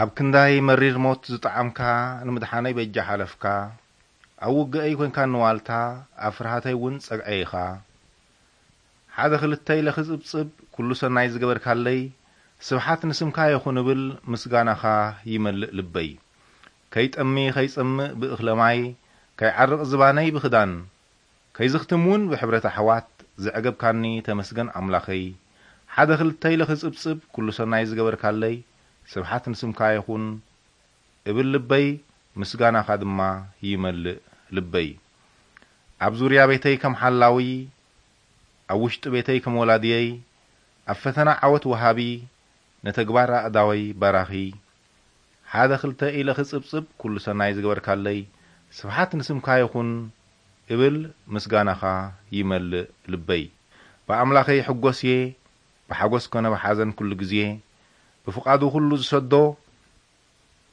ኣብ ክንዳይ መሪር ሞት ዝጠዓምካ፣ ንምድሓነይ በጃ ሓለፍካ። ኣብ ውግአይ ኮንካ ንዋልታ፣ ኣብ ፍርሃተይ እውን ጸግዐ ኢኻ። ሓደ ክልተ ኢለ ክጽብጽብ፣ ኩሉ ሰናይ ዝገበርካለይ፣ ስብሓት ንስምካ ይኹን እብል፣ ምስጋናኻ ይመልእ ልበይ። ከይጠሚ ከይጸምእ ብእኽለ ማይ፣ ከይዓርቕ ዝባነይ ብኽዳን፣ ከይዝኽትም እውን ብሕብረት ኣሕዋት፣ ዘዕገብካኒ ተመስገን ኣምላኸይ። ሓደ ክልተ ኢለ ክጽብጽብ፣ ኩሉ ሰናይ ዝገበርካለይ፣ ስብሓት ንስምካ ይኹን እብል ልበይ፣ ምስጋናኻ ድማ ይመልእ ልበይ። ኣብ ዙርያ ቤተይ ከም ሓላዊ፣ ኣብ ውሽጢ ቤተይ ከም ወላድየይ፣ ኣብ ፈተና ዓወት ወሃቢ፣ ንተግባር ኣእዳወይ ባራኺ። ሓደ ክልተ ኢለ ክጽብጽብ፣ ኩሉ ሰናይ ዝገበርካለይ፣ ስብሓት ንስምካ ይኹን እብል፣ ምስጋናኻ ይመልእ ልበይ። ብኣምላኸይ ይሕጎስ እየ፣ ብሓጎስ ኮነ ብሓዘን ኩሉ ግዜ፣ ብፍቓዱ ኩሉ ዝሰዶ፣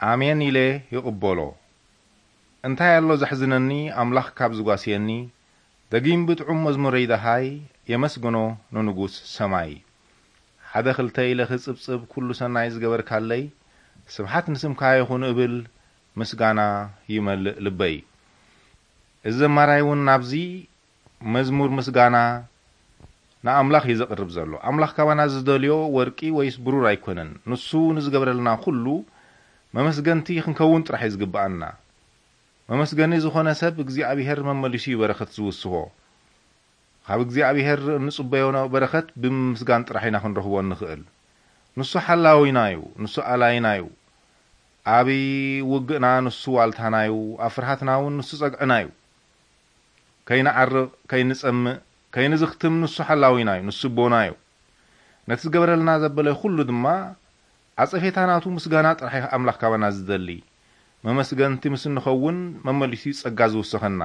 ኣሜን ኢለ ይቕበሎ። እንታይ ኣሎ ዘሕዝነኒ፣ ኣምላኽ ካብ ዝጓስየኒ፣ ደጊም ብጥዑም መዝሙረይ ደሃይ፣ የመስግኖ ንንጉስ ሰማይ። ሓደ ክልተ ኢለ ክጽብጽብ፣ ኩሉ ሰናይ ዝገበርካለይ፣ ስብሓት ንስምካ ይኹን እብል፣ ምስጋና ይመልእ ልበይ። እዚ ዘማራይ እውን ናብዚ መዝሙር ምስጋና ንኣምላኽ እዩ ዘቕርብ ዘሎ። ኣምላኽ ካባና ዝደልዮ ወርቂ ወይስ ብሩር ኣይኮነን። ንሱ ንዝገብረልና ኩሉ መመስገንቲ ክንከውን ጥራሕ እዩ ዝግብኣና። መመስገኒ ዝኾነ ሰብ እግዚኣብሔር መመሊሱ እዩ በረኸት ዝውስኾ። ካብ እግዚኣብሔር እንጽበዮ በረኸት ብምምስጋን ጥራሕ ኢና ክንረኽቦ እንኽእል። ንሱ ሓላዊና እዩ፣ ንሱ ኣላይና እዩ። ኣብ ውግእና ንሱ ዋልታና እዩ፣ ኣብ ፍርሃትና እውን ንሱ ጸግዕና እዩ። ከይንዓርቕ፣ ከይንጸምእ፣ ከይንዝኽትም ንሱ ሓላዊና እዩ፣ ንሱ ኣቦና እዩ። ነቲ ዝገበረልና ዘበለ ኩሉ ድማ ዓጸፌታ ናቱ ምስጋና ጥራሕ እዩ ኣምላኽ ካባና ዝደሊ። መመስገንቲ ምስ እንኸውን መመሊሱ እዩ ጸጋ ዝውስኸና።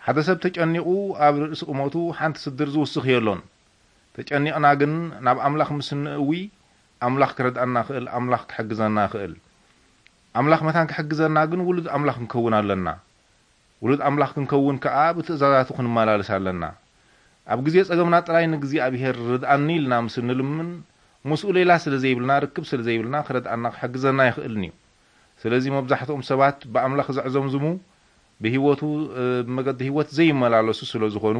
ሓደ ሰብ ተጨኒቑ ኣብ ርእሲ ቁመቱ ሓንቲ ስድር ዝውስኽ የሎን። ተጨኒቕና ግን ናብ ኣምላኽ ምስ እንእዊ ኣምላኽ ክረድኣና ይኽእል፣ ኣምላኽ ክሕግዘና ይኽእል። ኣምላኽ መታን ክሕግዘና ግን ውሉድ ኣምላኽ ክንከውን ኣለና። ውሉድ ኣምላኽ ክንከውን ከኣ ብትእዛዛቱ ክንመላለስ ኣለና። ኣብ ግዜ ጸገምና ጥራይ ንእግዚኣብሔር ርድኣኒ ኢልና ምስ እንልምን፣ ምስኡ ሌላ ስለ ዘይብልና፣ ርክብ ስለ ዘይብልና፣ ክረድኣና ክሕግዘና ኣይኽእልን እዩ። ስለዚ መብዛሕትኦም ሰባት ብኣምላኽ ዘዕዘምዝሙ ብህይወቱ፣ እ፣ ብመገዲ ህይወት ዘይመላለሱ ስለ ዝኾኑ፣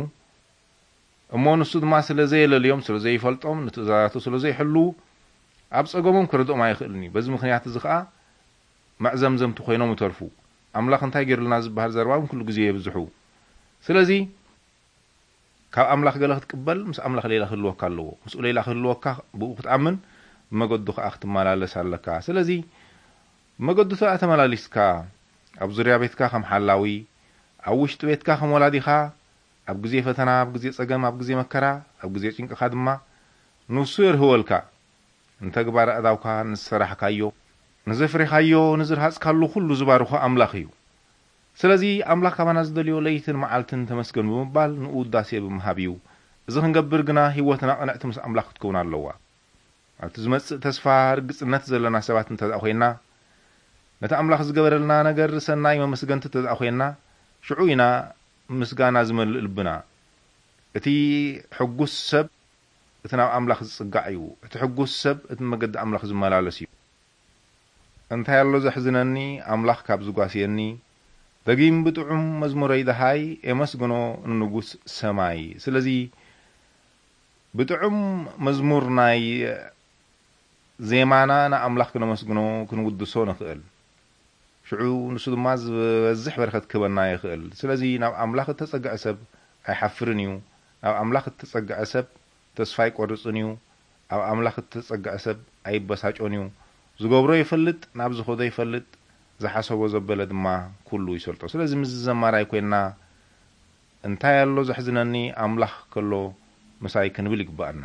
እሞ ንሱ ድማ ስለ ዘየለልዮም፣ ስለ ዘይፈልጦም፣ ንትእዛዛቱ ስለ ዘይሕልዉ፣ ኣብ ጸገሞም ክረድኦም ኣይኽእልን እዩ። በዚ ምኽንያት እዚ ኸኣ መዕዘምዘምቲ ኮይኖም ይተርፉ። ኣምላኽ እንታይ ገይሩልና ዝበሃል ዘረባ እውን ኩሉ ግዜ የብዝሑ። ስለዚ ካብ ኣምላኽ ገለ ክትቅበል ምስ ኣምላኽ ሌላ ክህልወካ ኣለዎ። ምስኡ ሌላ ክህልወካ ብኡ ክትኣምን፣ ብመገዱ ኸኣ ክትመላለስ ኣለካ። ስለዚ ብመገዱ ተኣ ተመላሊስካ፣ ኣብ ዙርያ ቤትካ ከም ሓላዊ፣ ኣብ ውሽጢ ቤትካ ከም ወላዲኻ፣ ኣብ ግዜ ፈተና፣ ኣብ ግዜ ጸገም፣ ኣብ ግዜ መከራ፣ ኣብ ግዜ ጭንቅኻ ድማ ንሱ የርህወልካ። ንተግባር ኣእዳውካ ንዝሰራሕካዮ፣ ንዘፍሬኻዮ፣ ንዝርሃጽካሉ ኩሉ ዝባርኾ ኣምላኽ እዩ። ስለዚ ኣምላኽ ካባና ዝደልዮ ለይትን መዓልትን ተመስገን ብምባል ንኡ ውዳሴ ብምሃብ እዩ። እዚ ክንገብር ግና ህይወትና ቅንዕቲ ምስ ኣምላኽ ክትከውን ኣለዋ። ኣብቲ ዝመጽእ ተስፋ ርግጽነት ዘለና ሰባት እንተ ደኣ ኮይንና፣ ነቲ ኣምላኽ ዝገበረልና ነገር ሰናይ መመስገንቲ እንተ ደኣ ኮይንና፣ ሽዑ ኢና ምስጋና ዝመልእ ልብና። እቲ ሕጉስ ሰብ እቲ ናብ ኣምላኽ ዝጽጋዕ እዩ። እቲ ሕጉስ ሰብ እቲ መገዲ ኣምላኽ ዝመላለስ እዩ። እንታይ ኣሎ ዘሕዝነኒ፣ ኣምላኽ ካብ ዝጓስየኒ፣ ደጊም ብጥዑም መዝሙረይ ደሃይ፣ የመስግኖ ንንጉስ ሰማይ። ስለዚ ብጥዑም መዝሙር ናይ ዜማና ንኣምላኽ ክነመስግኖ፣ ክንውድሶ ንኽእል። ሽዑ ንሱ ድማ ዝበዝሕ በረኸት ክህበና ይኽእል። ስለዚ ናብ ኣምላኽ እተጸግዐ ሰብ ኣይሓፍርን እዩ። ናብ ኣምላኽ እተጸግዐ ሰብ ተስፋ ኣይቆርጽን እዩ። ኣብ ኣምላኽ እተጸግዐ ሰብ ኣይበሳጮን እዩ። ዝገብሮ ይፈልጥ፣ ናብ ዝኸዶ ይፈልጥ፣ ዝሓሰቦ ዘበለ ድማ ኩሉ ይሰልጦ። ስለዚ ምስዚ ዘማራይ ኮይንና፣ እንታይ ኣሎ ዘሕዝነኒ፣ ኣምላኽ ከሎ ምሳይ ክንብል ይግብኣና።